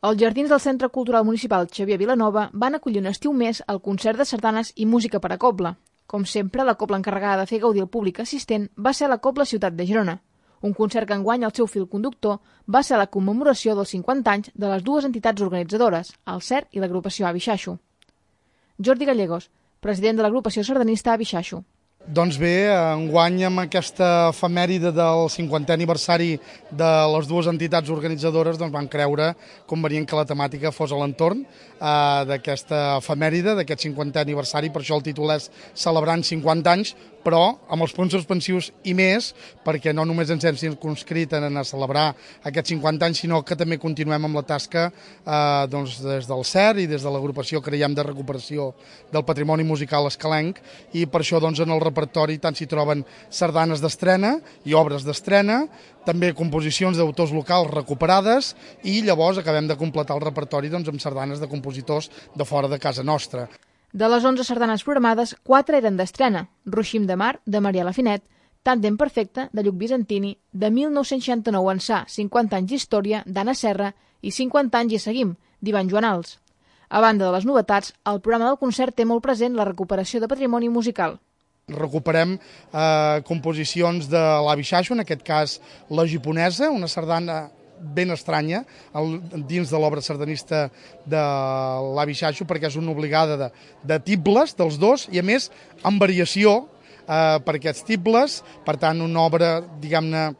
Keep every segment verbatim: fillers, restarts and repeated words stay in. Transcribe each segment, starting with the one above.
Els jardins del Centre Cultural Municipal Xavier Vilanova van acollir un estiu més el concert de sardanes i música per a cobla. Com sempre, la cobla encarregada de fer gaudir el públic assistent va ser la Cobla Ciutat de Girona. Un concert que enguany el seu fil conductor va ser la commemoració dels cinquanta anys de les dues entitats organitzadores, el C E R i l'agrupació Avi Xaxo. Jordi Gallegos, president de l'agrupació sardanista Avi Xaxo. Doncs bé, enguany amb aquesta efemèride del cinquantè aniversari de les dues entitats organitzadores doncs van creure convenient que la temàtica fos a l'entorn eh, d'aquesta efemèride, d'aquest cinquantè aniversari, per això el títol és Celebrant cinquanta anys, però amb els punts suspensius i més, perquè no només ens hem circunscrit en a celebrar aquests cinquanta anys, sinó que també continuem amb la tasca eh, doncs des del C E R i des de l'agrupació creiem de recuperació del patrimoni musical escalenc, i per això doncs en el repertori tant s'hi troben sardanes d'estrena i obres d'estrena, també composicions d'autors locals recuperades, i llavors acabem de completar el repertori doncs, amb sardanes de compositors de fora de casa nostra. De les onze sardanes programades, quatre eren d'estrena: Ruixim de mar, de Mariela Finet, Tàndem perfecte, de Lluc Bizantini, de mil nou-cents seixanta-nou ençà, cinquanta anys d'història, d'Anna Serra, i cinquanta anys i seguim, d'Ivan Joanals. A banda de les novetats, el programa del concert té molt present la recuperació de patrimoni musical. Recuperem eh, composicions de l'Avi Xaxo, en aquest cas la japonesa, una sardana ben estranya dins de l'obra sardanista de l'Avi Xaxo, perquè és una obligada de, de tibles dels dos, i a més amb variació eh, per aquests tibles, per tant una obra, diguem-ne,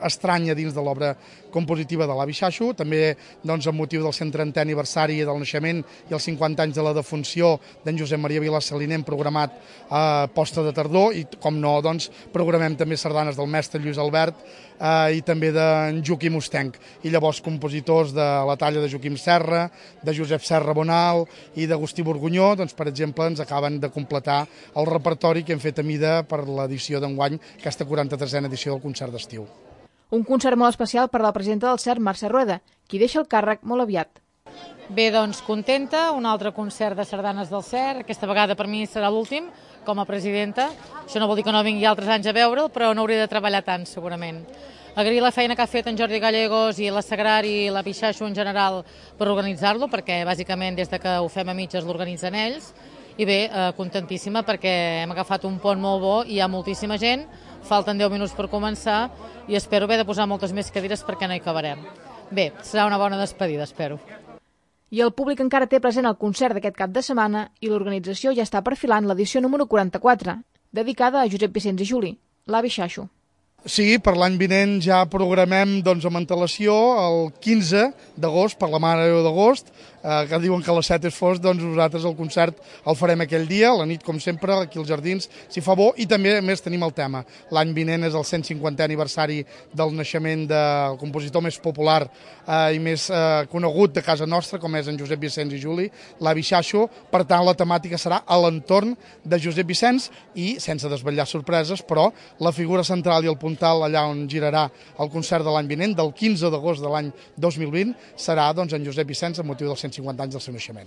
estranya dins de l'obra compositiva de l'Avi Xaxo. També doncs, amb motiu del cent trentè aniversari del naixement i els cinquanta anys de la defunció d'en Josep Maria Vila Saliner hem programat eh, posta de tardor, i com no doncs, programem també sardanes del mestre Lluís Albert eh, i també d'en Joaquim Ostenc, i llavors compositors de la talla de Joaquim Serra, de Josep Serra Bonal i d'Agustí Borgunyó, doncs, per exemple, ens acaben de completar el repertori que hem fet a mida per l'edició d'enguany, aquesta quaranta-tresena edició del concert d'estiu. Un concert molt especial per a la presidenta del C E R, Mercè Rueda, qui deixa el càrrec molt aviat. Bé, doncs contenta, un altre concert de sardanes del C E R, aquesta vegada per mi serà l'últim com a presidenta. Això no vol dir que no vingui altres anys a veure'l, però no hauré de treballar tant, segurament. Agrair la feina que ha fet en Jordi Gallegos i la Sagrari i l'Avi Xaxo en general per organitzar-lo, perquè bàsicament des de que ho fem a mitges l'organitzen ells. I bé, eh, contentíssima perquè hem agafat un pont molt bo i hi ha moltíssima gent, falten deu minuts per començar i espero haver de posar moltes més cadires perquè no hi acabarem. Bé, serà una bona despedida, espero. I el públic encara té present el concert d'aquest cap de setmana, i l'organització ja està perfilant l'edició número quaranta-quatre, dedicada a Josep Vicenç i Juli, l'Avi Xaxo. Sí, per l'any vinent ja programem doncs, amb antelació el quinze d'agost, per la Mare de Déu d'agost, eh, que diuen que a les set és fos, doncs nosaltres el concert el farem aquell dia, a la nit com sempre, aquí als Jardins, si fa bo, i també a més tenim el tema. L'any vinent és el cent cinquantè aniversari del naixement del compositor més popular eh, i més eh, conegut de casa nostra, com és en Josep Vicenç i Juli, l'Avi Xaxo. Per tant, la temàtica serà a l'entorn de Josep Vicenç i, sense desvetllar sorpreses, però la figura central i el puntal allà on girarà el concert de l'any vinent, del quinze d'agost de l'any dos mil vint, serà doncs, en Josep Vicenç amb motiu dels cent cinquanta anys del seu naixement.